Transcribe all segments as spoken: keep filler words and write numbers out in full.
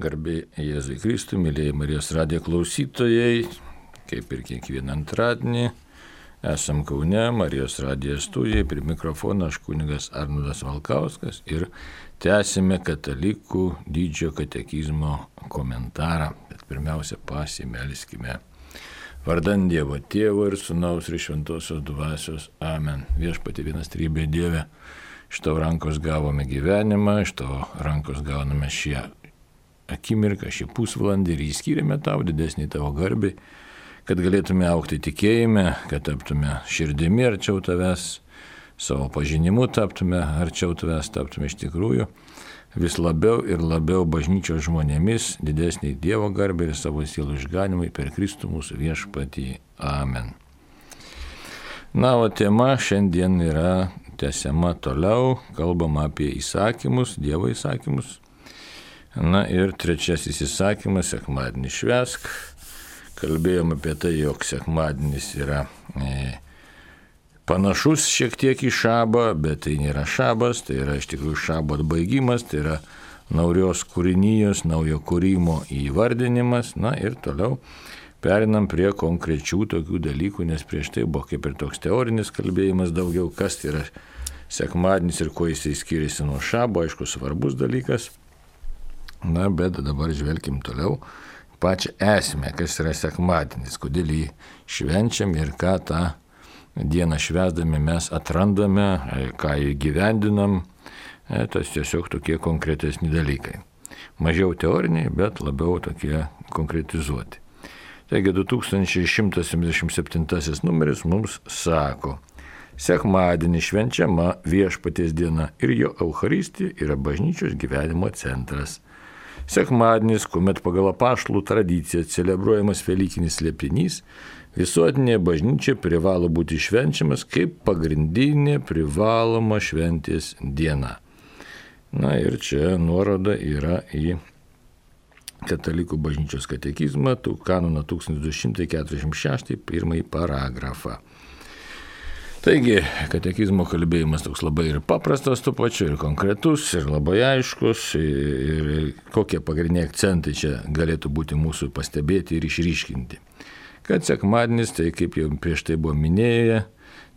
Garbė Jėzui Kristui, mėlyje Marijos radijo klausytojai, kaip ir kiekvieną antradienį, esam Kaune, Marijos radijo studijai, prie mikrofono aš kunigas Arnoldas Valkauskas ir tęsime katalikų didžiojo katekizmo komentarą. Bet pirmiausia, pasimelskime. Vardan Dievo Tėvo ir Sūnaus ir Šventosios Dvasios. Amen. Viešpatie vienas trybė Dieve, iš tavo rankos gavome gyvenimą, iš tavo rankos gauname šią akimirką, šį pusvalandį ir įskyrėme tau didesnį tavo garbį, kad galėtume augti tikėjime, kad taptume širdimi arčiau tavęs, savo pažinimu taptume arčiau tavęs, taptume iš tikrųjų vis labiau ir labiau bažnyčios žmonėmis, didesnį Dievo garbį ir savo sielų išganimui per Kristų mūsų viešpatį. Amen. Na, o tema šiandien yra tęsiama toliau, kalbama apie įsakymus, Dievo įsakymus. Na ir trečiasis įsakymas, sekmadienį švęsk. Kalbėjom apie tai, jog sekmadienis yra e, panašus šiek tiek į šabą, bet tai nėra šabas, tai yra iš tikrųjų šabo atbaigimas, tai yra naujos kūrinijos, naujo kūrimo įvardinimas. Na ir toliau perinam prie konkrečių tokių dalykų, nes prieš tai buvo kaip ir toks teorinis kalbėjimas daugiau, kas tai yra sekmadienis ir kuo jisai skiriasi nuo šabo, aišku, svarbus dalykas. Na, bet dabar žvelkim toliau pačią esmę, kas yra sekmadienis, kodėl jį švenčiam ir ką tą dieną švęsdami mes atrandame, ką įgyvendinam, tas tiesiog tokie konkretesni dalykai. Mažiau teoriniai, bet labiau tokie konkretizuoti. Taigi du tūkstančiai šimtas septyniasdešimt septintasis numeris mums sako: sekmadienį švenčiama Viešpaties diena ir jo Eucharistija yra bažnyčios gyvenimo centras. Sekmadienis, kuomet pagal apaštalų tradiciją celebruojamas Velykinis slėpinys, visuotinė bažnyčia privalo būti švenčiamas kaip pagrindinė privaloma šventės diena. Na ir čia nuoroda yra į Katalikų bažnyčios katekizmą, kanoną tūkstantis du šimtai keturiasdešimt šeši, pirmąjį paragrafą. Taigi, katekizmo kalbėjimas toks labai ir paprastas tuo pačiu, ir konkretus, ir labai aiškus, ir, ir kokie pagrindiniai akcentai čia galėtų būti mūsų pastebėti ir išryškinti. Kad sekmadienis, tai kaip jau prieš tai buvo minėję,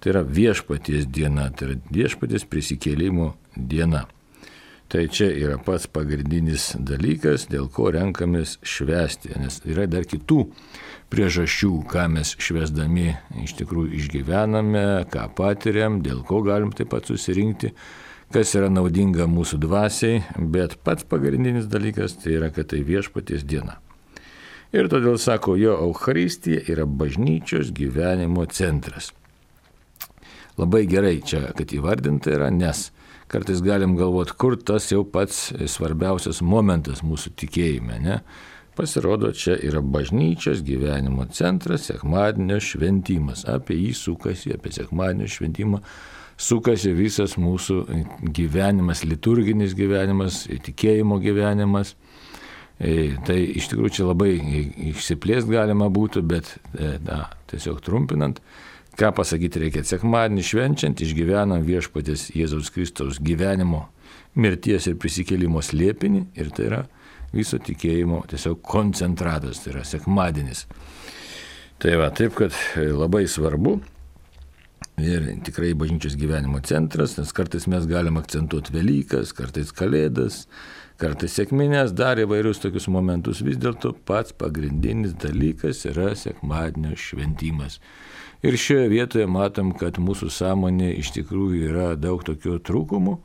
tai yra Viešpaties diena, tai yra Viešpaties prisikėlimo diena. Tai čia yra pats pagrindinis dalykas, dėl ko renkamės švęsti, nes yra dar kitų priežasčių, ką mes švęsdami iš tikrųjų išgyvename, ką patiriam, dėl ko galim taip pat susirinkti, kas yra naudinga mūsų dvasiai, bet pats pagrindinis dalykas tai yra, kad tai Viešpaties diena. Ir todėl sako, jo Eucharistija yra bažnyčios gyvenimo centras. Labai gerai čia, kad įvardinta yra, nes kartais galim galvoti, kur tas jau pats svarbiausias momentas mūsų tikėjime, ne? Pasirodo, čia yra bažnyčios gyvenimo centras, sekmadienio šventimas. Apie jį sukasi, apie sekmadienio šventimą sukasi visas mūsų gyvenimas, liturginis gyvenimas, tikėjimo gyvenimas. Tai iš tikrųjų čia labai išsiplėst galima būtų, bet na, tiesiog trumpinant, ką pasakyti reikia. Sekmadienį švenčiant išgyvenam Viešpaties Jėzaus Kristaus gyvenimo, mirties ir prisikėlimo slėpinį, ir tai yra viso tikėjimo tiesiog koncentratas, tai yra sekmadienis. Tai va, taip, kad labai svarbu ir tikrai bažnyčios gyvenimo centras, nes kartais mes galim akcentuoti Velykas, kartais Kalėdas, kartais sekmines, dar įvairius tokius momentus. Vis dėlto pats pagrindinis dalykas yra sekmadienio šventimas. Ir šioje vietoje matom, kad mūsų sąmonė iš tikrųjų yra daug tokių trūkumų,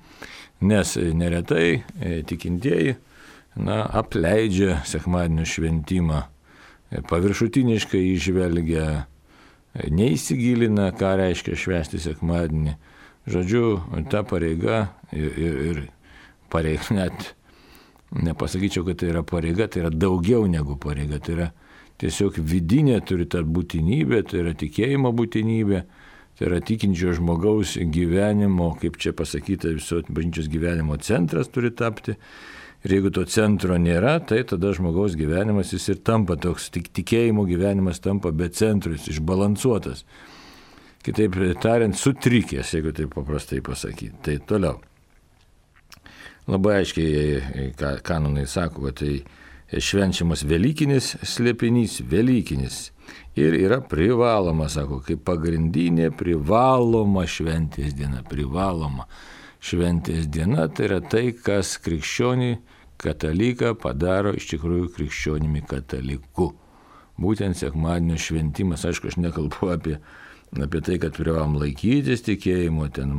nes neretai tikintieji na, apleidžia sekmadienio šventimą, paviršutiniškai įžvelgia, neįsigilina, ką reiškia švęsti sekmadienį. Žodžiu, ta pareiga ir, ir, ir pareiga, net nepasakyčiau, kad tai yra pareiga, tai yra daugiau negu pareiga, tai yra tiesiog vidinė turi ta būtinybė, tai yra tikėjimo būtinybė, tai yra tikinčio žmogaus gyvenimo, kaip čia pasakyta, viso bažnyčios gyvenimo centras turi tapti. Ir jeigu to centro nėra, tai tada žmogaus gyvenimas jis ir tampa toks, tik tikėjimo gyvenimas tampa be centro, jis išbalansuotas. Kitaip tariant, sutrikęs, jeigu taip paprastai pasakyti. Tai toliau. labai aiškiai kanonai sako, kad tai švenčiamas Velykinis slėpinys, Velykinis. Ir yra privaloma, sako, kaip pagrindinė privaloma šventės diena, privaloma šventės diena, tai yra tai, kas krikščionį kataliką padaro iš tikrųjų krikščionimi kataliku. Būtent sekmadienio šventimas, aišku, aš nekalbu apie, apie tai, kad privalom laikytis tikėjimo, ten,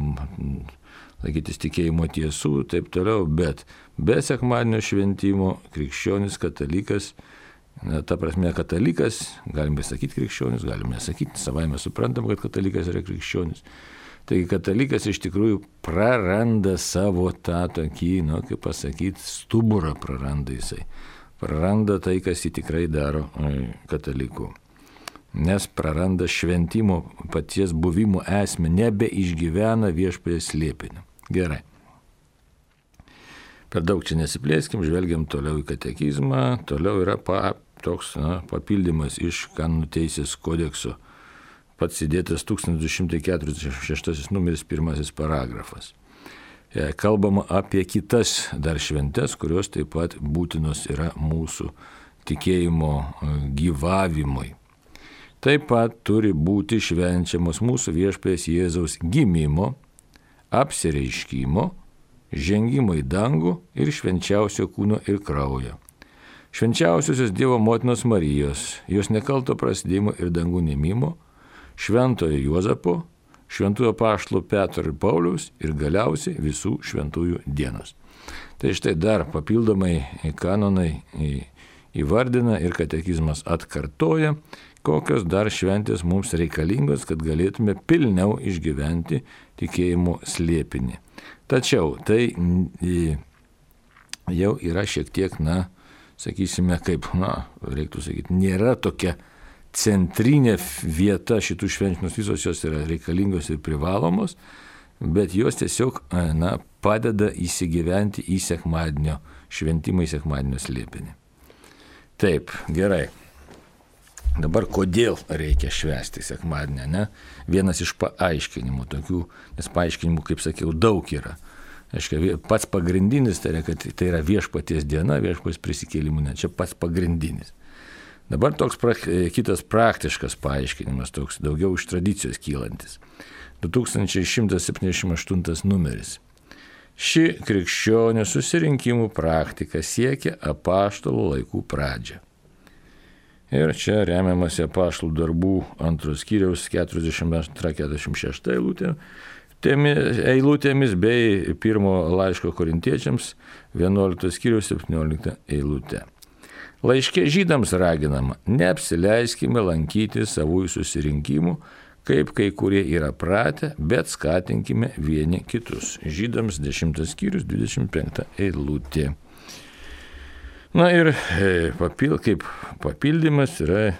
laikytis tikėjimo tiesų, taip toliau, bet be sekmadienio šventimo krikščionis katalikas, na, ta prasme katalikas, galime sakyti krikščionis, galime sakyti, savaime suprantam, kad katalikas yra krikščionis. Taigi katalikas iš tikrųjų praranda savo tą tokį, nu, kaip pasakyti, stuburą praranda jisai. Praranda tai, kas jį tikrai daro kataliku. Nes praranda šventimo paties buvimo esmę, nebeišgyvena viešpaties slėpinio. Gerai. Per daug čia nesiplėskim, žvelgiam toliau į katekizmą, toliau yra pa, toks na, papildymas iš kanonų teisės kodekso. Pats įdėtas tūkstantis du šimtai keturiasdešimt šeštasis numeris pirmasis paragrafas. Kalbama apie kitas dar šventes, kurios taip pat būtinos yra mūsų tikėjimo gyvavimui. Taip pat turi būti švenčiamos mūsų viešpaties Jėzaus gimimo, apsireiškimo, žengimo į dangų ir švenčiausio kūno ir kraujo. Švenčiausiosios Dievo motinos Marijos, jos nekalto prasidėjimo ir dangų nemimo, šventojo Juozapo, šventųjų apaštalų Petro ir Pauliaus ir galiausiai visų šventųjų dienos. Tai štai dar papildomai kanonai įvardina ir katekizmas atkartoja, kokios dar šventės mums reikalingos, kad galėtume pilniau išgyventi tikėjimo slėpinį. Tačiau tai jau yra šiek tiek, na, sakysime, kaip, na, reiktų sakyti, nėra tokia centrinė vieta šitų švenčių, nors visos jos yra reikalingos ir privalomos, bet jos tiesiog, na, padeda įsigyventi į sekmadienio šventimą, į sekmadienio slėpinį. Taip, gerai. Dabar kodėl reikia švęsti sekmadienį, ne? Vienas iš paaiškinimų tokių, nes paaiškinimų, kaip sakiau, daug yra. Aiškia, pats pagrindinis tai yra, kad tai yra viešpaties diena, viešpaties prisikėlimų, ne, čia pats pagrindinis. Dabar toks pra, kitas praktiškas paaiškinimas, toks daugiau iš tradicijos kylantis. du tūkstančiai šimtas septyniasdešimt aštuntas numeris. Ši krikščionių susirinkimų praktika siekia apaštalų laikų pradžią. Ir čia remiamasi apaštalų darbų antros skyriaus keturiasdešimt antra keturiasdešimt šešta eilutė, eilutėmis bei pirmo laiško korintiečiams vienuoliktos skyriaus septyniolikta eilutė. Laiške žydams raginama, neapsileiskime lankyti savųjų susirinkimų, kaip kai kurie yra pratę, bet skatinkime vieni kitus. Žydams dešimtas skyrius dvidešimt penkta eilutė. Na ir papil, kaip papildymas yra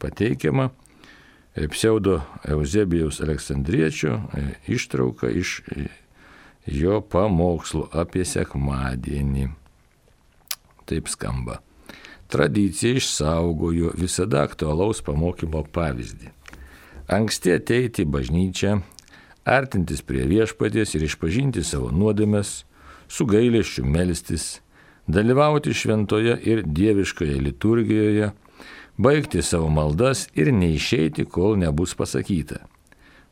pateikiama pseudo Euzebijaus Aleksandriečio ištrauka iš jo pamokslų apie sekmadienį. Taip skamba. Tradicija išsaugojo visada aktualaus pamokymo pavyzdį. Anksti ateiti į bažnyčią, artintis prie viešpaties ir išpažinti savo nuodėmes, su gailesčiu melstis, dalyvauti šventoje ir dieviškoje liturgijoje, baigti savo maldas ir neišeiti, kol nebus pasakyta.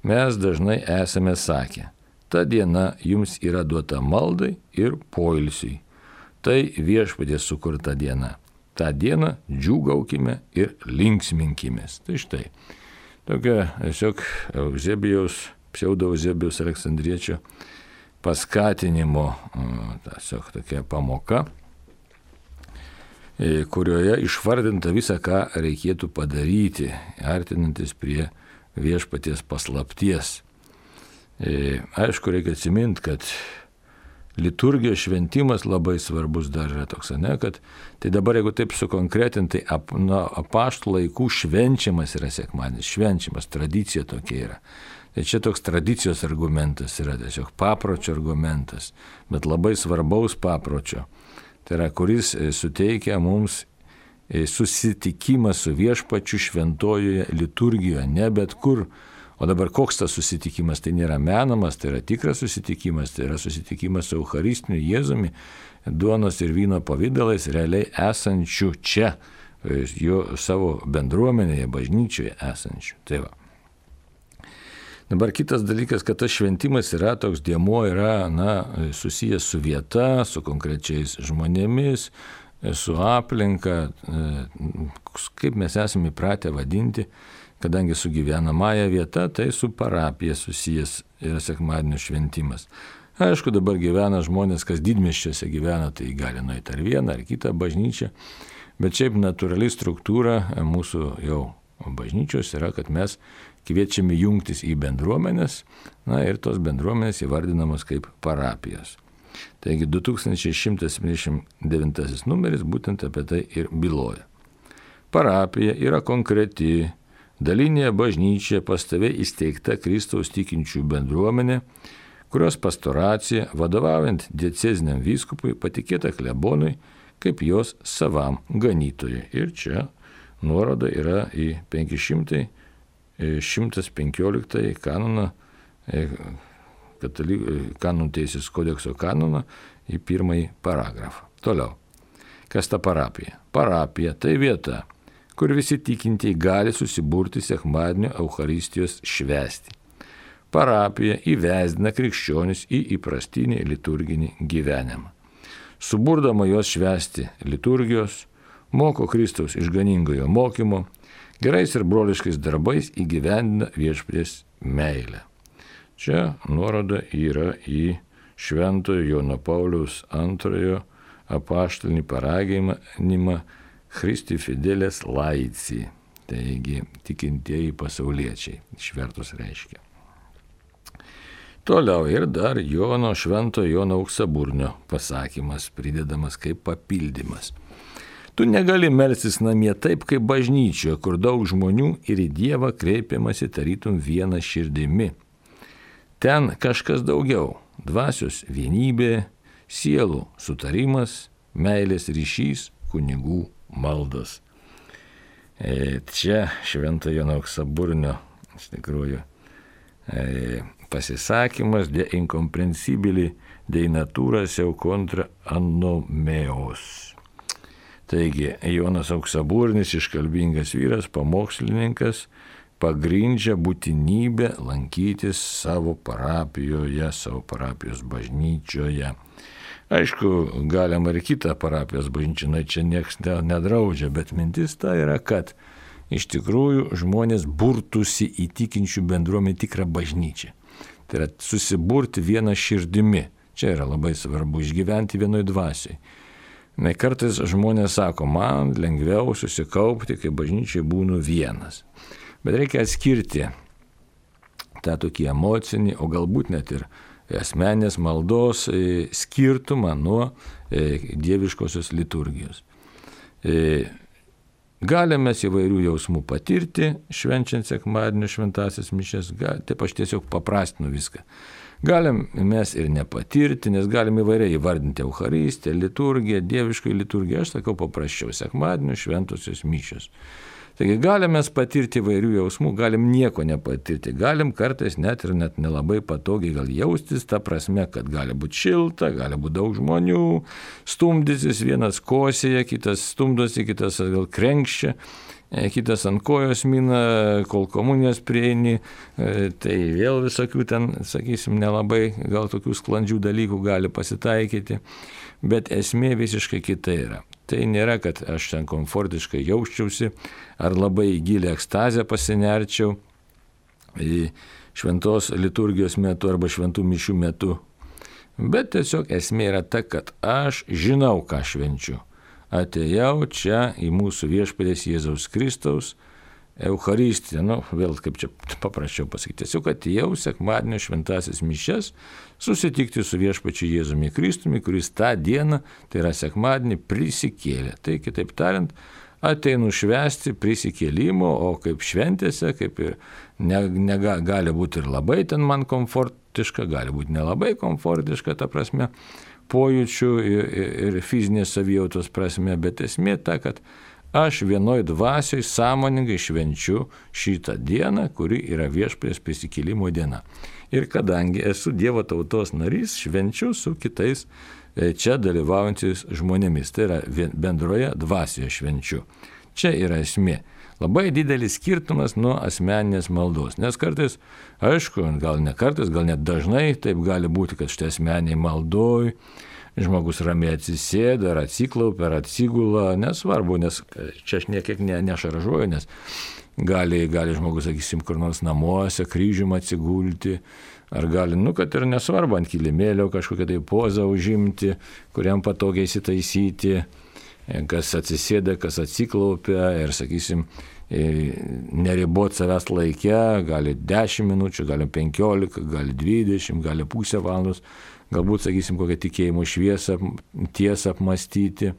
Mes dažnai esame sakę, ta diena jums yra duota maldai ir poilsiui. Tai viešpaties sukurta diena. Ta diena džiūgaukime ir linksminkimės. Tai štai, tokia tiesiog Euzebijaus, pseudo Euzebijaus Aleksandriečio paskatinimo tiesiog tokia pamoka, kurioje išvardinta visą, ką reikėtų padaryti, artinantis prie viešpaties paslapties. Aišku, reikia atsiminti, kad liturgijos šventimas labai svarbus dar yra toks, ne, kad tai dabar, jeigu taip sukonkretinti, ap, na, apaštalų laikų švenčiamas yra sekmadienis, švenčiamas, tradicija tokia yra. Tai čia toks tradicijos argumentas yra, tiesiog papročio argumentas, bet labai svarbaus papročio. Tai yra, kuris suteikia mums susitikimą su viešpačiu šventojoje liturgijoje, ne bet kur, O dabar koks tas susitikimas? Tai nėra menamas, tai yra tikras susitikimas, tai yra susitikimas su Eucharistiniu Jėzumi, duonos ir vyno pavydalais realiai esančių čia, jo savo bendruomenėje, bažnyčioje esančių. Tai va. Dabar kitas dalykas, kad tas šventimas yra toks dėmuo, yra na, susijęs su vieta, su konkrečiais žmonėmis, su aplinka, kaip mes esame įpratę vadinti, kadangi su gyvenamąja vieta, tai su parapija susijęs yra sekmadienio šventimas. Aišku, dabar gyvena žmonės, kas didmiesčiuose gyvena, tai gali nueiti ar vieną, ar kitą bažnyčią, bet šiaip natūrali struktūra mūsų jau bažnyčios yra, kad mes kviečiami jungtis į bendruomenės, na ir tos bendruomenės įvardinamos kaip parapijos. Taigi du tūkstančiai šimtas septyniasdešimt devintasis numeris būtent apie tai ir byloja. Parapija yra konkreti, dalinė bažnyčia pastoviai įsteigta Kristaus tikinčių bendruomenė, kurios pastoracija, vadovaujant dieceziniam vyskupui, patikėta klebonui kaip jos savam ganytojui. Ir čia nuoroda yra į šimtas penkioliktąjį kanoną, katalikų kanonų teisės kodekso kanoną, į pirmąjį paragrafą. Toliau. Kas ta parapija? Parapija tai vieta, kur visi tikintieji gali susiburti sekmadienio Eucharistijos švęsti. Parapija įvesdina krikščionis į įprastinį liturginį gyvenimą. Suburdama juos švęsti liturgijos, moko Kristaus išganingojo mokymo, gerais ir broliškais darbais įgyvendina viešpaties meilę. Čia nuoroda yra į Šventojo Jono Pauliaus antrojo apaštalinį paraginimą Christi Fideles Laici, taigi tikintieji pasauliečiai, išvertus reiškia. Toliau ir dar Jono Šventojo Jono Auksaburnio pasakymas pridedamas kaip papildymas. Tu negali melstis namie taip, kaip bažnyčioje, kur daug žmonių ir į Dievą kreipiamasi tarytum viena širdimi. Ten kažkas daugiau – dvasios vienybė, sielų sutarimas, meilės ryšys, kunigų maldos. E, čia Šventojo Jono Auksaburnio, iš tikrųjų, e, pasisakymas de incomprensibili de natura seu contra anomeos. Taigi, Jonas Auksaburnis, iškalbingas vyras, pamokslininkas, pagrindžia būtinybę lankytis savo parapijoje, savo parapijos bažnyčioje. Aišku, galima ir kitą parapijos bažnyčią, čia nieks nedraudžia, bet mintis ta yra, kad iš tikrųjų žmonės burtųsi į tikinčių bendruomenę tikrą bažnyčią. Tai yra susiburti vieną širdimi. Čia yra labai svarbu išgyventi vienoj dvasiai. Na, kartais žmonės sako, man lengviau susikaupti, kai bažnyčiai būnu vienas. Bet reikia atskirti tą tokį emocinį, o galbūt net ir asmenės maldos skirtumą nuo dieviškosios liturgijos. Galime mes įvairių jausmų patirti, švenčiant sekmadienio šventąsias mišias, taip aš tiesiog paprastinu viską. Galim mes ir nepatirti, nes galim įvairiai įvardinti Eucharistiją, liturgiją, dievišką liturgiją, aš sakau paprasčiau, sekmadienio šventosios mišios. Taigi galim mes patirti įvairių jausmų, galim nieko nepatirti, galim kartais net ir net nelabai patogiai gal jaustis, ta prasme, kad gali būti šilta, gali būti daug žmonių, stumdysis, vienas kosėja, kitas stumdosi, kitas gal krenkščia, kitas ant kojos mina, kol komunijos prieini, tai vėl visokių ten, sakysim, nelabai gal tokių sklandžių dalykų gali pasitaikyti, bet esmė visiškai kita yra. Tai nėra, kad aš ten komfortiškai jausčiausi ar labai į gilę ekstazę pasinerčiau į šventos liturgijos metu arba šventų mišių metu. Bet tiesiog esmė yra ta, kad aš žinau, ką švenčiu. Atėjau čia į mūsų viešpaties Jėzaus Kristaus Eucharistiją, nu, vėl kaip čia paprasčiau pasakyti, tiesiog atėjau sekmadienio šventąsias mišias susitikti su viešpačiu Jėzumi Kristumi, kuris tą dieną, tai yra sekmadienį, prisikėlė. Tai kitaip tariant, ateinu švęsti prisikėlimo, o kaip šventėse, kaip ir ne, ne, gali būti ir labai ten man komfortiška, gali būti nelabai komfortiška, ta prasme, pojūčių ir, ir fizinės savijautos prasme, bet esmė ta, kad aš vienoj dvasioj sąmoningai švenčiu šitą dieną, kuri yra Viešpaties prisikėlimo diena. Ir kadangi esu Dievo tautos narys, švenčiu su kitais čia dalyvaujantis žmonėmis. Tai yra bendroje dvasioje švenčiu. Čia yra esmė. Labai didelis skirtumas nuo asmeninės maldos. Nes kartais, aišku, gal ne kartais, gal net dažnai taip gali būti, kad štai asmeniai maldoj žmogus ramiai atsisėda, ar atsiklaupia, ar atsigula, nesvarbu, nes čia aš niekiek ne, nešaržuoju, nes gali, gali žmogus, sakysim, kur nors namuose kryžium atsigulti, ar gali, nu, kad ir nesvarbu, ant kilimėlio kažkokią tai pozą užimti, kuriam patogiai įsitaisyti, kas atsisėda, kas atsiklaupia ir, sakysim, neribot savęs laike, gali dešimt minučių, gali penkiolika, gali dvidešimt, gali pusę valandos, galbūt, sakysim, kokią tikėjimo šviesą, tiesą apmastyti,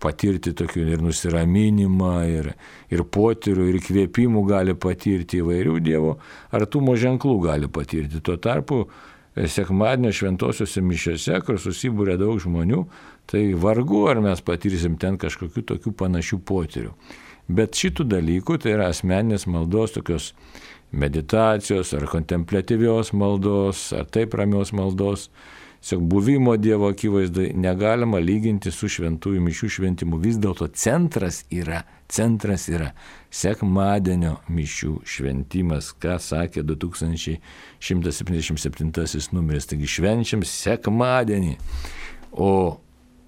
patirti tokių ir nusiraminimą, ir, ir potyrių, ir kvėpimų gali patirti, įvairių Dievo artumo ženklų gali patirti. Tuo tarpu sekmadienio šventosiuose mišiose, kur susibūrė daug žmonių, tai vargu ar mes patirsim ten kažkokių tokių panašių potyrių. Bet šitų dalykų, tai yra asmeninės maldos, tokios meditacijos ar kontempliatyvios maldos, ar taip ramios maldos, tiesiog buvimo Dievo akivaizdai negalima lyginti su šventųjų mišių šventimu. Vis dėlto centras yra, centras yra sekmadienio mišių šventimas, ką sakė du tūkstančiai šimtas septyniasdešimt septintasis numeris. Taigi švenčiam sekmadienį. O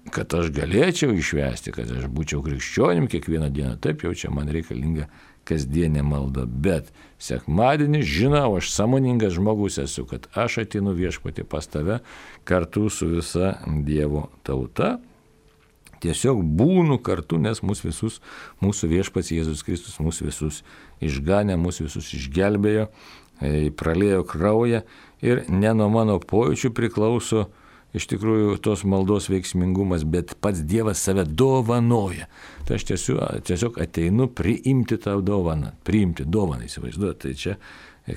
kad aš galėčiau išvesti, kad aš būčiau krikščionim kiekvieną dieną, taip jau čia man reikalinga kasdienė malda, bet sekmadienį žinau, aš sąmoningas žmogus esu, kad aš ateinu Viešpatie pas tave kartu su visa Dievo tauta, tiesiog būnu kartu, nes mūsų visus, mūsų Viešpats Jėzus Kristus mūsų visus išganė, mūsų visus išgelbėjo, praliejo kraują ir ne nuo mano pojūčių priklauso iš tikrųjų tos maldos veiksmingumas, bet pats Dievas save dovanoja. Tai aš tiesiog, tiesiog ateinu priimti tą dovaną, priimti dovaną, įsivaizduoti. Tai čia,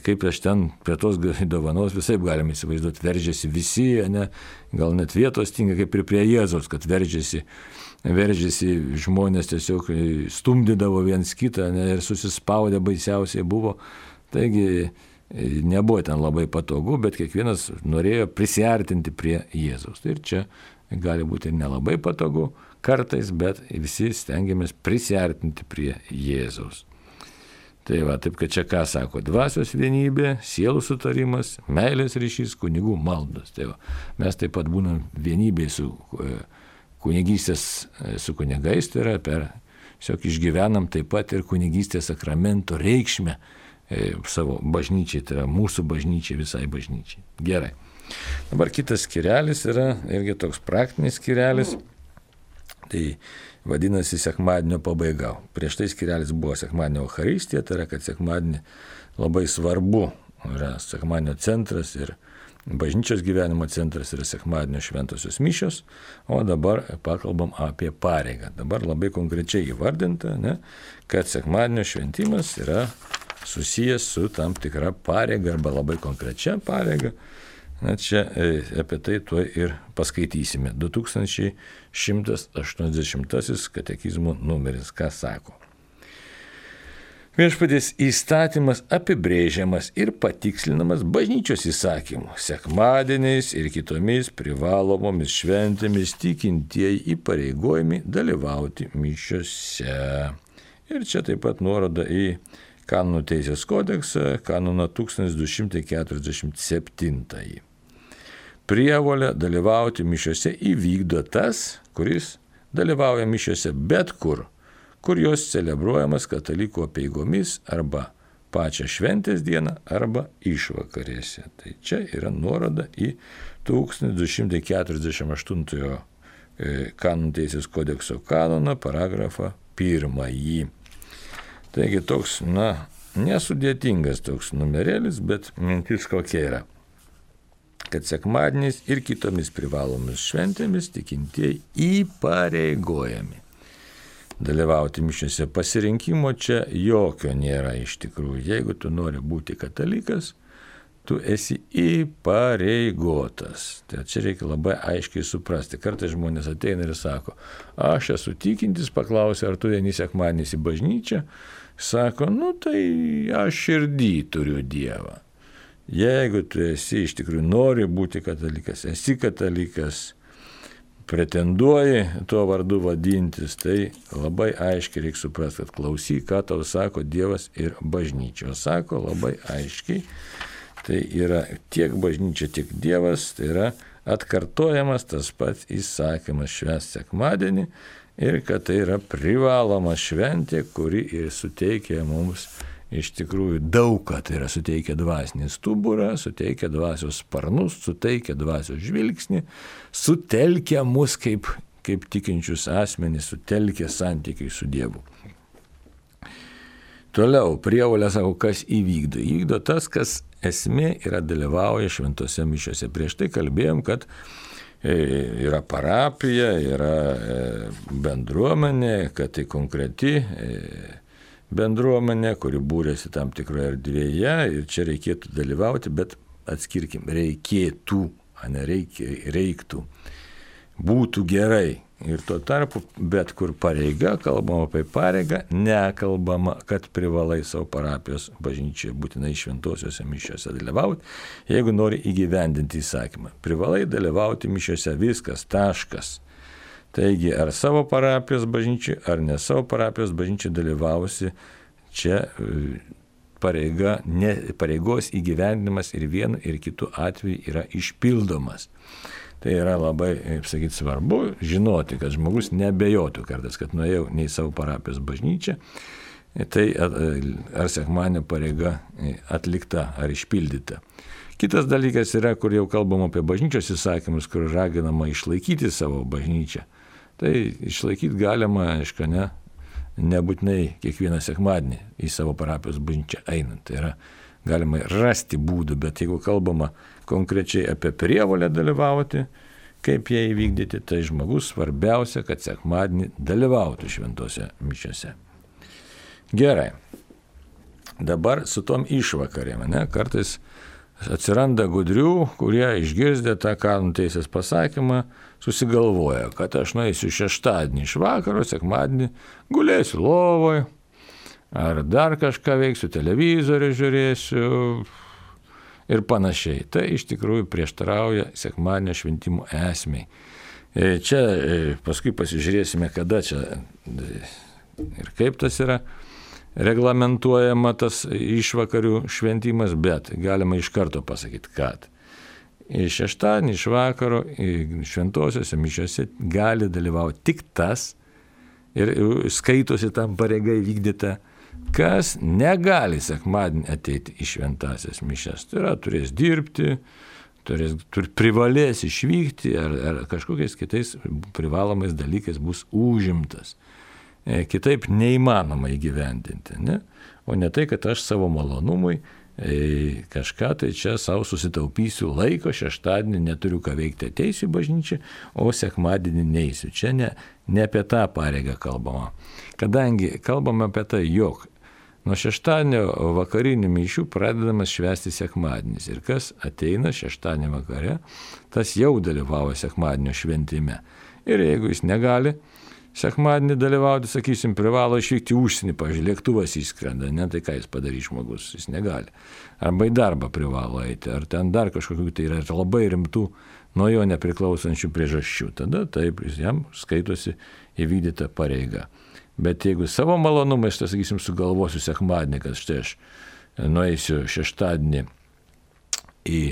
kaip aš ten prie tos dovanos visai galime įsivaizduoti, veržiasi visi, ne, gal net vietos tinga, kaip ir prie Jėzaus, kad veržiasi, veržiasi žmonės tiesiog stumdydavo viens kitą, ne, ir susispaudė baisiausiai buvo. Taigi, nebuvo ten labai patogu, bet kiekvienas norėjo prisiartinti prie Jėzaus. Ir čia gali būti nelabai patogu kartais, bet visi stengiamės prisiartinti prie Jėzaus. Tai va, taip kad čia ką sako, dvasios vienybė, sielų sutarimas, meilės ryšys, kunigų maldos. Tai va, mes taip pat būnam vienybėj su kunigystės, su kunigais, tai yra per, tiesiog išgyvenam taip pat ir kunigystės sakramento reikšmę savo bažnyčiai, tai yra mūsų bažnyčiai, visai bažnyčiai. Gerai. Dabar kitas skirelis yra irgi toks praktinis skirelis, tai vadinasi sekmadienio pabaiga. Prieš tai skirelis buvo sekmadienio Eucharistija, tai yra, kad sekmadienį labai svarbu yra sekmadienio centras ir bažnyčios gyvenimo centras yra sekmadienio šventosios mišios, o dabar pakalbam apie pareigą. Dabar labai konkrečiai įvardinta, ne, kad sekmadienio šventimas yra susijęs su tam tikra pareiga arba labai konkrečia pareiga. Na, čia apie tai tuo ir paskaitysime. du tūkstančiai šimtas aštuoniasdešimtasis katekizmo numeris, ką sako. Viešpaties įstatymas apibrėžiamas ir patikslinamas bažnyčios įsakymu, sekmadieniais ir kitomis privalomomis šventėmis tikintieji įpareigojami dalyvauti mišiose. Ir čia taip pat nuoroda į Kanonų teisės kodeksą, kanoną tūkstantis du šimtai keturiasdešimt septyni. Prievolę dalyvauti mišiose įvykdo tas, kuris dalyvauja mišiose bet kur, kur jos celebruojamas katalikų apeigomis arba pačią šventės dieną arba išvakarėse. Tai čia yra nuoroda į tūkstantis du šimtai keturiasdešimt aštuntojo Kanonų teisės kodekso kanoną, paragrafą pirmąjį. Taigi toks, na, nesudėtingas toks numerėlis, bet mintis kokia yra, kad sekmadieniais ir kitomis privalomis šventėmis tikintieji įpareigojami dalyvauti mišiose. Pasirinkimo čia jokio nėra iš tikrųjų. Jeigu tu nori būti katalikas, tu esi įpareigotas. Tai čia reikia labai aiškiai suprasti. Kartais žmonės ateina ir sako, aš esu tikintis, paklausia, ar tu eini sekmadieniais į bažnyčią. Sako, nu tai aš širdį turiu Dievą. Jeigu tu esi iš tikrųjų nori būti katalikas, esi katalikas, pretenduoji tuo vardu vadintis, tai labai aiškiai reikia suprasti, kad klausyk, ką tau sako Dievas ir bažnyčia. Sako labai aiškiai, tai yra tiek bažnyčia, tiek Dievas, tai yra atkartojamas tas pats įsakymas švęsti sekmadienį ir kad tai yra privaloma šventė, kuri ir suteikia mums iš tikrųjų daug, tai yra suteikia dvasinį stuburą, suteikia dvasios sparnus, suteikia dvasios žvilgsnį, sutelkia mus kaip, kaip tikinčius asmenys, sutelkia santykiai su Dievu. Toliau, prievolė sako, kas įvykdo. Įvykdo tas, kas esmė yra dalyvauja šventose mišiose. Prieš tai kalbėjom, kad yra parapija, yra bendruomenė, kad tai konkreti bendruomenė, kuri būrėsi tam tikroje erdvėje ir čia reikėtų dalyvauti, bet atskirkim, reikėtų, o ne reikia, reiktų, būtų gerai. Ir tuo tarpu, bet kur pareiga, kalbama apie pareigą, nekalbama, kad privalai savo parapijos bažnyčioje būtinai šventosiuose mišiuose dalyvauti, jeigu nori įgyvendinti įsakymą. Privalai dalyvauti mišiuose, viskas, taškas. Taigi, ar savo parapijos bažnyčiai, ar ne savo parapijos bažnyčiai dalyvausi, čia pareiga, ne, pareigos įgyvendinimas ir vienu ir kitu atveju yra išpildomas. Tai yra labai, kaip sakyti, svarbu žinoti, kad žmogus nebejotų kartais, kad nuėjau ne į savo parapijos bažnyčią, tai ar sekmadienio pareiga atlikta ar išpildyta. Kitas dalykas yra, kur jau kalbam apie bažnyčios įsakymus, kur raginama išlaikyti savo bažnyčią. Tai išlaikyti galima, aišku, ne, nebūtinai kiekvieną sekmadienį į savo parapijos bažnyčią einant. Tai yra galima rasti būdų, bet jeigu kalbama konkrečiai apie prievolę dalyvauti, kaip ją įvykdyti, tai žmogus svarbiausia, kad sekmadienį dalyvautų šventose mišiose. Gerai. Dabar su tom išvakarėm, ne, kartais atsiranda gudrių, kurie išgirdę tą kanonų teisės pasakymą susigalvoja, kad aš nueisiu šeštadienį iš vakaro, sekmadienį gulėsiu lovoje, ar dar kažką veiksiu, televizorių žiūrėsiu ir panašiai. Tai iš tikrųjų prieštarauja sekmadienio šventimo esmei. Čia paskui pasižiūrėsime, kada čia ir kaip tas yra reglamentuojama tas išvakarių šventimas, bet galima iš karto pasakyti, kad iš šeštadienį, iš vakaro šventosiuose mišiuose gali dalyvauti tik tas ir skaitosi tam pareiga įvykdyta, kas negali sekmadienį ateiti į šventasias mišias. Tai yra, turės dirbti, turės, tur, privalės išvykti ar, ar kažkokiais kitais privalomais dalykais bus užimtas. Kitaip neįmanoma įgyvendinti, ne? O ne tai, kad aš savo malonumui e, kažką tai čia savo susitaupysiu laiko, šeštadienį neturiu ką veikti, ateisiu į bažnyčią, o sekmadienį neisiu. Čia ne, ne apie tą pareigą kalbama. Kadangi kalbama apie tai, jog nuo šeštadienio vakarinių mišių pradedamas švęsti sekmadienis. Ir kas ateina šeštadienį vakare, tas jau dalyvavo sekmadienio šventime. Ir jeigu jis negali sekmadienį dalyvauti, sakysim, privalo išvykti užsienį, pavyzdžiui, lėktuvas įskrenda, ne, tai ką jis padarys žmogus, jis negali. Arba į darbą privalo eiti, ar ten dar kažkokių, tai yra labai rimtų, nuo jo nepriklausančių priežasčių. Tada taip, jam skaitosi įvykdyta pareiga. Bet jeigu savo malonumais, tai sakysim, sugalvosiu sekmadienį, kad štai aš nueisiu šeštadienį į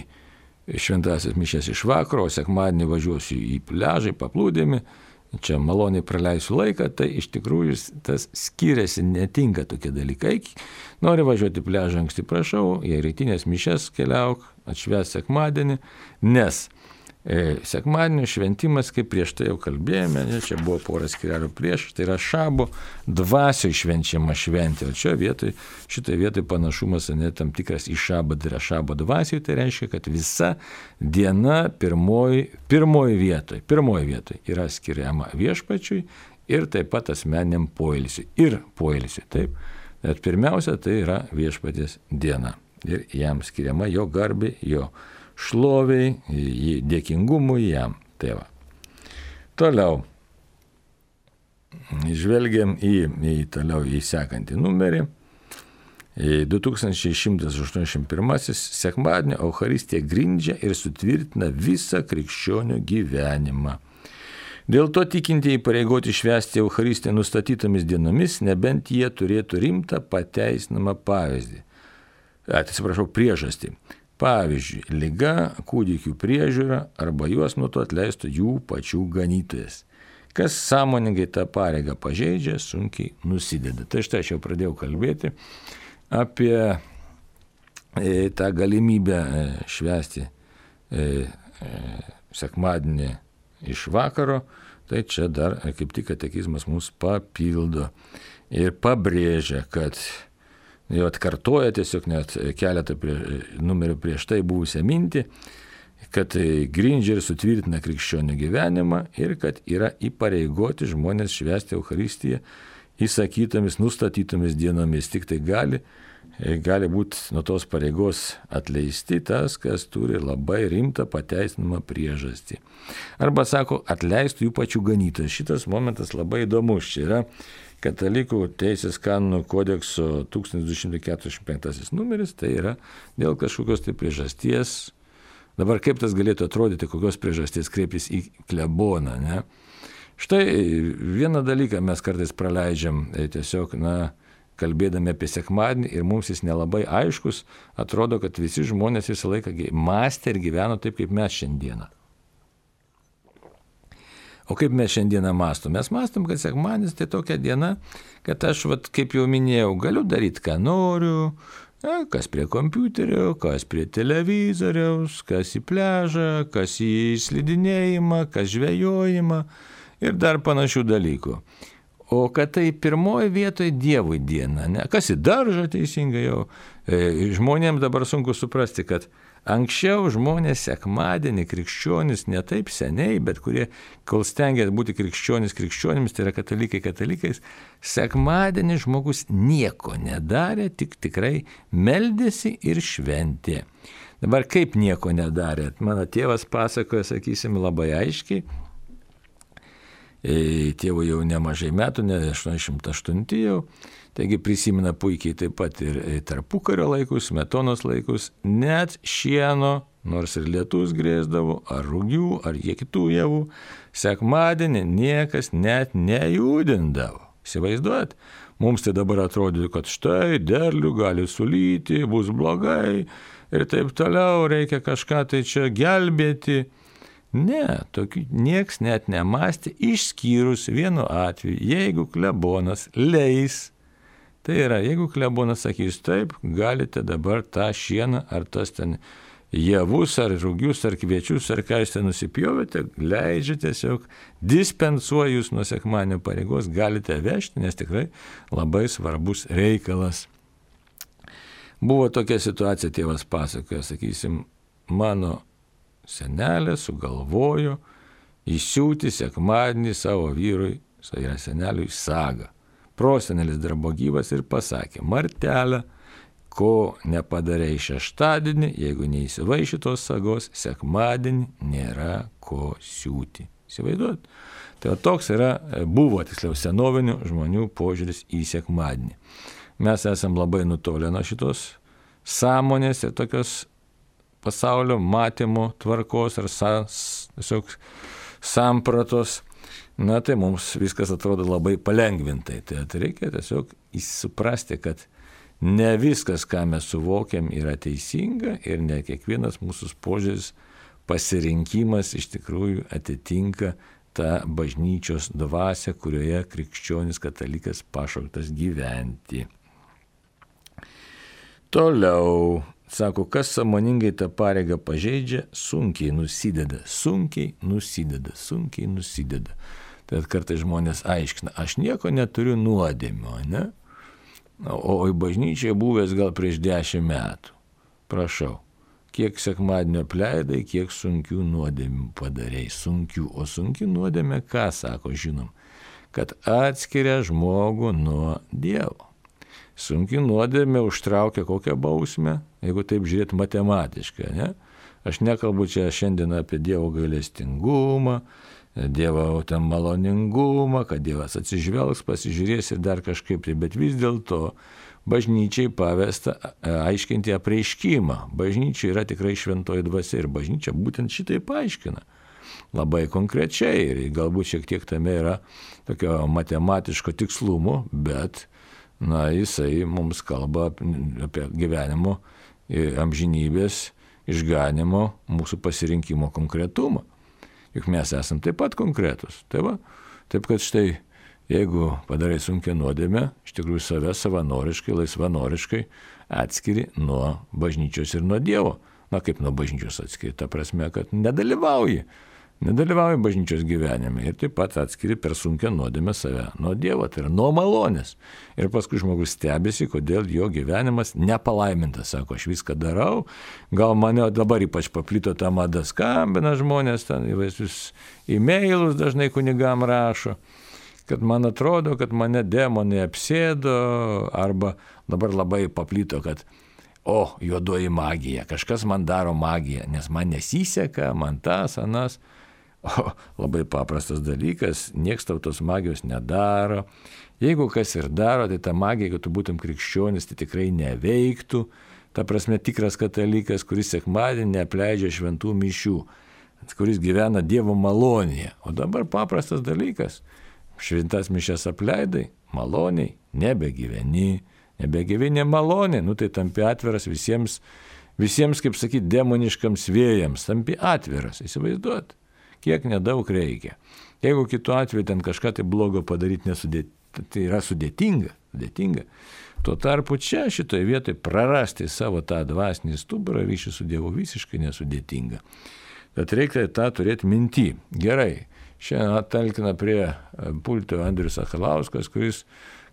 šventasias mišias iš vakaro, o sekmadienį važiuosiu į pliažą, į paplūdimį, čia maloniai praleisiu laiką, tai iš tikrųjų tas skiriasi, netinka tokie dalykai. Nori važiuoti pliažą anksti, prašau, į rytinės mišias keliauk, atšvęs sekmadienį, nes e, sekmadienio šventimas, kaip prieš tai jau kalbėjome, ne, čia buvo pora skirelių prieš, tai yra šabo dvasio švenčiama šventė. O čia vietoj, šitai vietoj panašumas ne tam tikras į šabą, tai yra šabo dvasio, tai reiškia, kad visa diena pirmoji, pirmoji vietoj, pirmoji vietoj yra skiriama viešpačiui ir taip pat asmeniniam poilsiui. Ir poilsiui, taip. Bet pirmiausia, tai yra viešpaties diena. ir jam skiriama jo garbė, jo šloviai, dėkingumui jam. Tai va. Toliau. Žvelgiam į, į toliau į sekantį numerį. du tūkstančiai šimtas aštuoniasdešimt pirmasis sekmadienio Eucharistija grindžia ir sutvirtina visą krikščionių gyvenimą. Dėl to tikintieji pareigoti švęsti Eucharistiją nustatytomis dienomis, nebent jie turėtų rimtą pateisinamą pavyzdį. Atsiprašau, priežastį. Pavyzdžiui, liga, kūdikių priežiūra arba juos nuo to atleistų jų pačių ganytojas. Kas sąmoningai tą pareigą pažeidžia, sunkiai nusideda. Tai štai aš jau pradėjau kalbėti apie e, tą galimybę e, švęsti e, e, sekmadienį iš vakaro, tai čia dar e, kaip tik katekizmas mus papildo ir pabrėžia, kad jau atkartoja tiesiog net keletą prie, numerių prieš tai buvusią mintį, kad grindžia ir sutvirtina krikščionių gyvenimą ir kad yra įpareigoti žmonės švęsti Eucharistiją įsakytomis, nustatytomis dienomis. Tik tai gali, gali būti nuo tos pareigos atleisti tas, kas turi labai rimtą pateisinamą priežastį. Arba sako, atleistų jų pačių ganytojas. Šitas momentas labai įdomus. Čia yra Katalikų teisės kanonų kodekso tūkstantis du šimtai keturiasdešimt penktasis numeris, tai yra dėl kažkokios tai priežasties. Dabar kaip tas galėtų atrodyti, kokios priežasties kreiptis į kleboną, ne? Štai vieną dalyką mes kartais praleidžiam, tiesiog, na, kalbėdami apie sekmadienį ir mums jis nelabai aiškus, atrodo, kad visi žmonės visą laiką mąstė ir gyveno taip, kaip mes šiandieną. O kaip mes šiandieną mąstom? Mes mąstom, kad sekmadienis tai tokia diena, kad aš, vat, kaip jau minėjau, galiu daryti, ką noriu, na, kas prie kompiuterio, kas prie televizoriaus, kas į pležą, kas į slidinėjimą, kas žvejojimą ir dar panašių dalykų. O kad tai pirmoji vietoje Dievui diena, ne? Kas į daržą teisingai jau. E, žmonėms dabar sunku suprasti, kad anksčiau žmonės sekmadienį krikščionis ne taip seniai, bet kurie, kol stengiasi būti krikščionis krikščionimis, tai yra katalikai katalikais, sekmadienį žmogus nieko nedarė, tik tikrai meldėsi ir šventė. Dabar kaip nieko nedarė? Mano tėvas pasakoja, sakysim, labai aiškiai, tėvo jau nemažai metų, ne aštuoniasdešimt aštunti jau, taigi prisimena puikiai taip pat ir tarpukario laikus, Smetonos laikus, net šieno, nors ir lietus grėsdavo, ar rūgių, ar jie kitų javų, sekmadienį niekas net nejudindavo. Įsivaizduojat? Mums tai dabar atrodo, kad štai derlių gali sulyti, bus blogai ir taip toliau, reikia kažką tai čia gelbėti. Ne, tokių nieks net nemąstė, išskyrus vienu atveju, jeigu klebonas leis, tai yra, jeigu klebonas sakys taip, galite dabar tą šieną ar tas ten javus, ar rūgius, ar kviečius, ar ką jūs ten nusipjovėte, leidžia tiesiog, dispensuoja jūs nuo sekmadienio pareigos, galite vežti, nes tikrai labai svarbus reikalas. Buvo tokia situacija, tėvas pasakoja, sakysim, mano senelė sugalvojo įsiūti sekmadienį savo vyrui, tai yra seneliui, sagą. Prosenelis dar buvo gyvas ir pasakė, Martelė, ko nepadarei šeštadienį, jeigu neįsivaiši tos sagos, sekmadienį nėra ko siūti. Įsivaizduot? Tai toks yra, buvo tiksliau senovinių žmonių požiūris į sekmadienį. Mes esam labai nutolę nuo šitos sąmonės ir tokios pasaulio matymo tvarkos ar tiesiog sampratos, na tai mums viskas atrodo labai palengvintai. Tai reikia tiesiog suprasti, kad ne viskas, ką mes suvokiam, yra teisinga ir ne kiekvienas mūsų požiūris, pasirinkimas iš tikrųjų atitinka tą bažnyčios dvasią, kurioje krikščionis katalikas pašauktas gyventi. Toliau. Sako, kas sąmoningai tą pareigą pažeidžia, sunkiai nusideda, sunkiai nusideda, sunkiai nusideda. Tai kartais žmonės aiškina, aš nieko neturiu nuodėmio, ne? O į bažnyčią buvęs gal prieš dešimt metų. Prašau, kiek sekmadienio pleidai, kiek sunkių nuodėmių padarei, sunkių. O sunki nuodėmė, ką sako, žinom, kad atskiria žmogų nuo Dievo. Sunki nuodėmė užtraukia kokią bausmę? jeigu taip žiūrėt matematiškai, ne? Aš nekalbu čia šiandien apie Dievo gailestingumą, Dievo ten maloningumą, kad Dievas atsižvelgs, pasižiūrės ir dar kažkaip tai, bet vis dėlto bažnyčiai pavesta aiškinti apreiškimą. Bažnyčia yra tikrai šventoji dvasia ir bažnyčia būtent šitai paaiškina. Labai konkrečiai ir galbūt šiek tiek tame yra tokio matematiško tikslumo, bet na, jisai mums kalba apie gyvenimo amžinybės išganimo mūsų pasirinkimo konkretumą. Juk mes esam taip pat konkretus. Tai va, taip kad štai, jeigu padarai sunkią nuodėmę, iš tikrųjų save savanoriškai, laisvanoriškai atskiri nuo bažnyčios ir nuo Dievo. Na kaip nuo bažnyčios atskiri? Ta prasme, kad nedalyvauji. Nedalyvauji bažnyčios gyvenime ir taip pat atskiri per sunkią nuodėmę save nuo Dievo, tai yra nuo malonės. Ir paskui žmogus stebisi, kodėl jo gyvenimas nepalaimintas. Sako, aš viską darau, gal mane dabar ypač paplito tą madą, skambina žmonės, ten įvairius e-mailus dažnai kunigam rašo, kad man atrodo, kad mane demonai apsėdo, arba dabar labai paplito, kad o, juodoji magija, kažkas man daro magiją, nes man nesiseka, man tas, anas. O, labai paprastas dalykas, nieks tau tos magijos nedaro. Jeigu kas ir daro, tai ta magija, jeigu tu būtum krikščionis, tai tikrai neveiktų. Ta prasme, tikras katalikas, kuris sekmadienį neapleidžia šventų mišių, kuris gyvena Dievo malonėje. O dabar paprastas dalykas, šventas mišias apleidai, maloniai, nebegyveni, nebegyveni maloniai, nu tai tampi atviras visiems, visiems, kaip sakyti, demoniškams vėjams, tampi atviras, įsivaizduot. Kiek nedaug reikia. Jeigu kitu atveju ten kažką tai blogo padaryti nesudėt, tai yra sudėtinga, sudėtinga. Tuo tarpu čia šitoje vietoje prarasti savo tą dvasinį stuburą ryšį su Dievu visiškai nesudėtinga. Tad reikia tą turėti minty. Gerai, šiandien talkina prie pulto Andrius Sakalauskas, kuris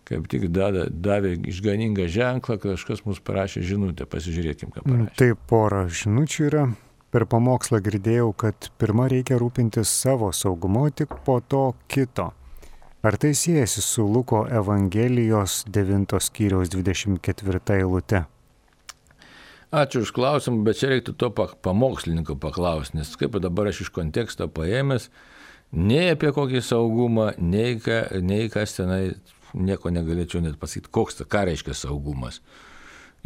kaip tik davė, davė išganingą ženklą, kažkas mums parašė žinutę, pasižiūrėkim, ką parašė. Tai pora žinučių yra. Per pamokslą girdėjau, kad pirmą reikia rūpintis savo saugumu, tik po to kito. Ar tai siejasi su Luko Evangelijos devintos skyriaus dvidešimt ketvirta eilute? Ačiū už klausimą, bet čia reiktų to pamokslininko paklausti, nes kaip dabar aš iš konteksto paėmęs, nei apie kokį saugumą, nei, ką, nei kas tenai, nieko negalėčiau net pasakyti, koks, ką reiškia saugumas.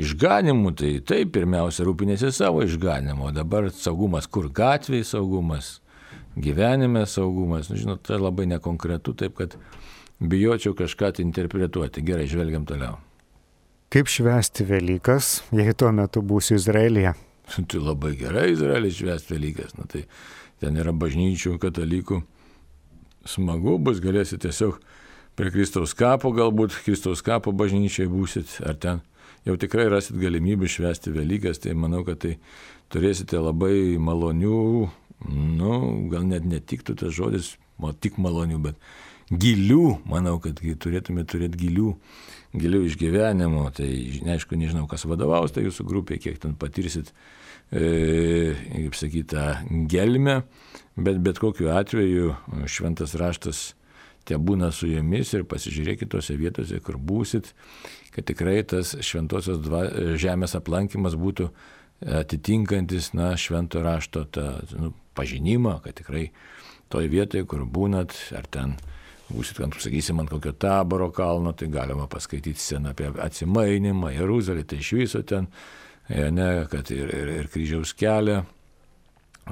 Išganimu, tai taip, pirmiausia, rūpinėsi savo išganimu, o dabar saugumas, kur gatvėje saugumas, gyvenime saugumas, nu, žinot, tai labai nekonkretu, taip kad bijočiau kažką tai interpretuoti. Gerai, žvelgiam toliau. Kaip švęsti Velykas, jei tuo metu būsiu Izraelyje? Tai labai gerai Izraelį švęsti Velykas, nu, tai ten yra bažnyčių, katalikų, smagu bus, galėsit tiesiog prie Kristaus kapo, galbūt Kristaus kapo bažnyčiai būsit, ar ten jau tikrai rasit galimybę švęsti Velykas, tai manau, kad tai turėsite labai malonių, nu, gal net netiktų tas žodis, o tik malonių, bet gilių, manau, kad turėtume turėti gilių, gilių išgyvenimų, tai neaišku, nežinau, kas vadovaus, tai jūsų grupė, kiek ten patirsit, e, kaip sakyta, gelmę, bet bet kokiu atveju šventas raštas te būna su jumis ir pasižiūrėkit tose vietose, kur būsit, kad tikrai tas šventosios dva, žemės aplankymas būtų atitinkantis, na, švento rašto tą, nu, pažinimą, kad tikrai toj vietoje, kur būnat, ar ten būsit, kad, sakysim, ant kokio Taboro kalno, tai galima paskaityti sceną apie atsimainimą, Jeruzalę, tai iš viso ten, ne, kad ir, ir, ir kryžiaus kelią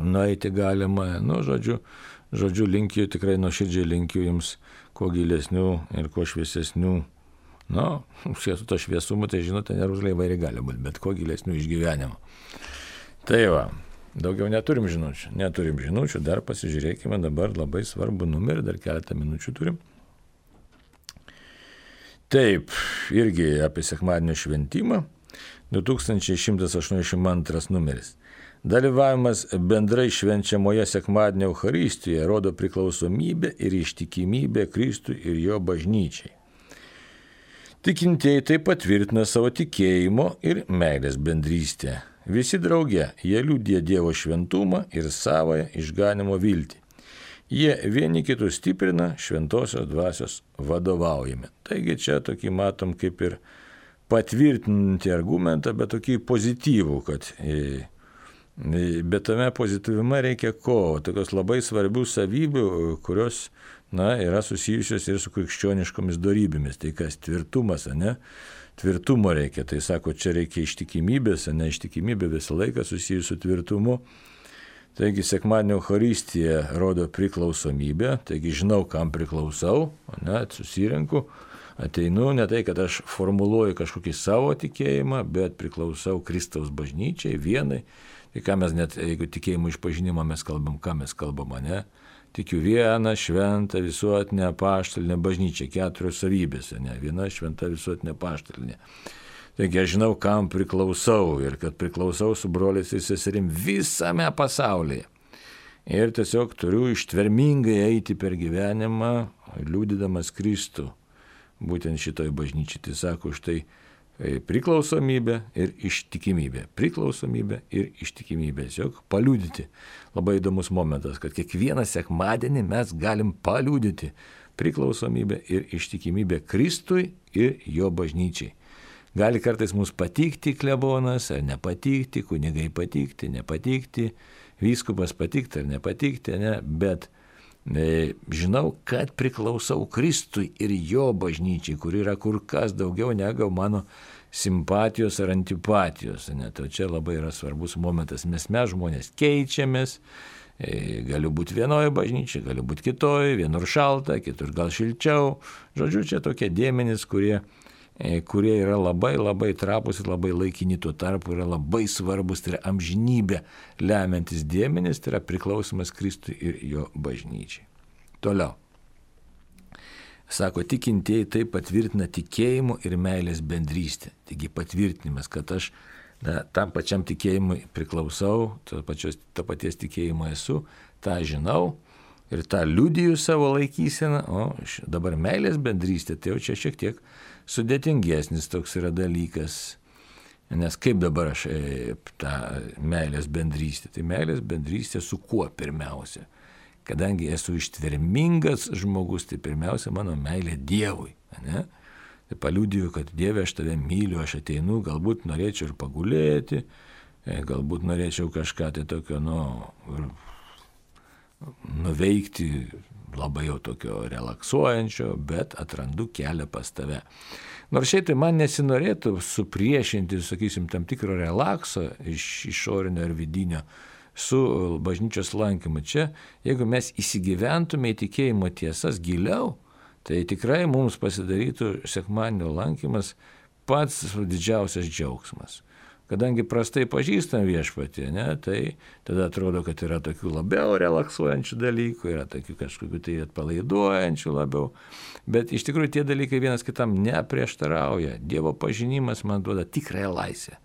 nueiti galima, nu, žodžiu, Žodžiu, linkiu, tikrai nuoširdžiai linkiu jums kuo gilesnių ir kuo šviesesnių, nu, su to šviesumu, tai žinote, Jeruzalė įvairiai gali būti, bet kuo gilesnių išgyvenimų. Tai va, daugiau neturim žinučių, neturim žinučių, dar pasižiūrėkime dabar labai svarbų numerį, dar keletą minučių turim. Taip, irgi apie sekmadienio šventimą, du tūkstančiai šimtas aštuoniasdešimt antras numeris. Dalyvavimas bendrai švenčiamoje sekmadienio Eucharistijoje rodo priklausomybę ir ištikimybę Kristui ir jo bažnyčiai. Tikintieji taip patvirtina savo tikėjimo ir meilės bendrystę. Visi drauge jie liudija Dievo šventumą ir savąją išganimo viltį. Jie vieni kitus stiprina šventosios dvasios vadovaujami. Taigi čia tokį matom kaip ir patvirtinti argumentą, bet tokį pozityvų, kad bet tame pozityvume reikia ko? Tokios labai svarbių savybių, kurios na, yra susijusios ir su krikščioniškomis dorybėmis. Tai kas tvirtumas, ne? Tvirtumo reikia. Tai sako, čia reikia ištikimybės, ne? Ištikimybė visą laiką susijusi su tvirtumu. Taigi sekmadienio Eucharistija rodo priklausomybę, taigi žinau, kam priklausau, ne? Susirinku, ateinu, ne tai, kad aš formuluoju kažkokį savo tikėjimą, bet priklausau Kristaus bažnyčiai, vienai. Tai ką mes net, jeigu tikėjimo išpažinimą mes kalbam, ką mes kalbam, ne? Tikiu vieną šventą visuotinę apaštalinę bažnyčią, keturios savybės, ne? Viena šventa visuotinė apaštalinė. Taigi aš žinau, kam priklausau ir kad priklausau su broliais ir seserim visame pasaulyje. Ir tiesiog turiu ištvermingai eiti per gyvenimą, liudydamas Kristų, būtent šitoj bažnyčiai. Tai sako, štai priklausomybė ir ištikimybė. Priklausomybė ir ištikimybė. Tiesiog paliudyti. Labai įdomus momentas, kad kiekvieną sekmadienį mes galim paliudyti priklausomybę ir ištikimybę Kristui ir jo bažnyčiai. Gali kartais mums patikti klebonas ar nepatikti, kunigai patikti, nepatikti, vyskupas patikti ar nepatikti, ne? Bet e, žinau, kad priklausau Kristui ir jo bažnyčiai, kur yra kur kas daugiau negu mano simpatijos ar antipatijos. Ne? Tai čia labai yra svarbus momentas, nes mes žmonės keičiamės, e, galiu būti vienoje bažnyčiai, galiu būti kitoje, vienur šalta, kitur gal šilčiau. Žodžiu, čia tokie dėmenys, kurie kurie yra labai labai trapus ir labai laikini, tuo tarpu yra labai svarbus, tai yra amžinybė lemiantis dėmenys, tai yra priklausimas Kristui ir jo bažnyčiai. Toliau. Sako, tikintieji tai patvirtina tikėjimo ir meilės bendrystę. Taigi patvirtinimas, kad aš na, tam pačiam tikėjimui priklausau, to, pačios, to paties tikėjimo esu, tą žinau ir tą liudiju savo laikyseną, o dabar meilės bendrystė, tai jau čia šiek tiek sudėtingesnis toks yra dalykas, nes kaip dabar aš e, tą meilės bendrystę, tai meilės bendrystė su kuo pirmiausia, kadangi esu ištvermingas žmogus, tai pirmiausia mano meilė Dievui, ne? Tai paliudiju, kad Dieve aš tave myliu, aš ateinu, galbūt norėčiau ir pagulėti, e, galbūt norėčiau kažką tai tokio, nu, nuveikti labai jau tokio relaksuojančio, bet atrandu kelią pas tave. Nors šiaip tai man nesinorėtų supriešinti, sakysim, tam tikro relakso iš išorinio ir vidinio su bažnyčios lankymu. Čia, jeigu mes įsigyventume į tikėjimo tiesas giliau, tai tikrai mums pasidarytų sekmadienio lankymas pats didžiausias džiaugsmas. Kadangi prastai pažįstam viešpatį, ne, tai tada atrodo, kad yra tokių labiau relaksuojančių dalykų, yra tokių kažkokių tai atpalaiduojančių labiau, bet iš tikrųjų tie dalykai vienas kitam neprieštarauja. Dievo pažinimas man duoda tikrąją laisvę.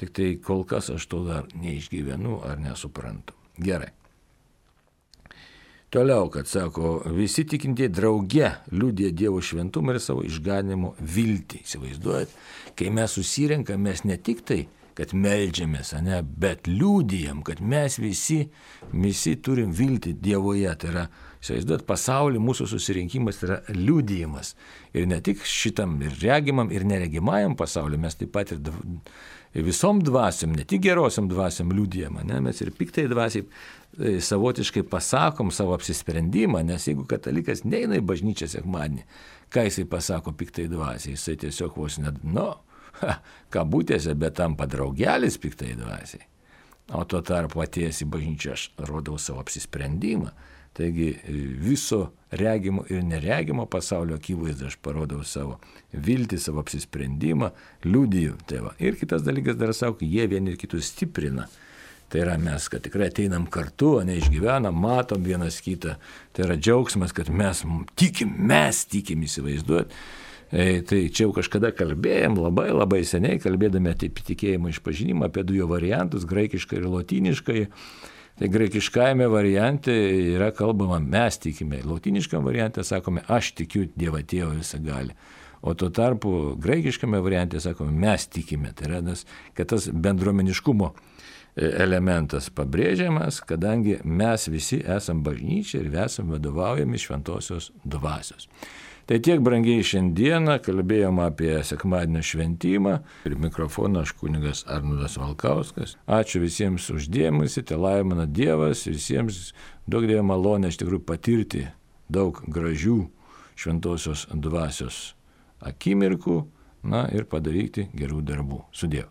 Tik tai kol kas aš to dar neišgyvenu ar nesuprantu. Gerai. Toliau, kad sako, visi tikintieji drauge liudija Dievo šventumą ir savo išganimo viltį. Įsivaizduojat, kai mes susirenkam, mes ne tik tai, kad meldžiamės, ne, bet liudijam, kad mes visi, visi turim viltį Dievoje. Tai yra, įsivaizduojat, pasaulį mūsų susirinkimas yra liudijimas. Ir ne tik šitam ir regimam, ir neregimajam pasauliu, mes taip pat ir visom dvasiom, ne tik gerosiam dvasiom liudijam, ne, mes ir piktai dvasiai savotiškai pasakom savo apsisprendimą, nes jeigu katalikas neina į bažnyčią sekmadienį, ką jisai pasako piktai dvasiai, jisai tiesiog vos net, nu, ha, kabutėse, bet tampa draugelis piktai dvasiai. O tuo tarpu atėjęs į bažnyčią aš rodau savo apsisprendimą. Taigi viso regimo ir neregimo pasaulio akivaizdu aš parodau savo viltį, savo apsisprendimą, liudiju. Tai va. Ir kitas dalykas dar sako, jie vieni ir kitus stiprina. Tai yra mes, kad tikrai ateinam kartu, neišgyvenam, matom vienas kitą. Tai yra džiaugsmas, kad mes tikim, mes tikim įsivaizduot. E, tai čia jau kažkada kalbėjom, labai labai seniai kalbėdami apie tikėjimo išpažinimą, apie du jo variantus, graikiškai ir lotyniškai. Tai graikiškajame variante yra kalbama mes tikime, lotyniškame variante sakome aš tikiu Dievą Tėvą visagalį. O tuo tarpu graikiškame variante sakome mes tikime. Tai yra, kad tas bendruomeniškumo elementas pabrėžiamas, kadangi mes visi esam bažnyčia ir esam vadovaujami šventosios dvasios. Tai tiek brangiai šiandieną kalbėjom apie sekmadienio šventimą. Ir mikrofoną aš kunigas Arnoldas Valkauskas. Ačiū visiems už dėmesį, te laimina Dievas, visiems daug dievo malonę iš tikrųjų patirti daug gražių šventosios dvasios akimirkų, na ir padaryti gerų darbų. Sudiev.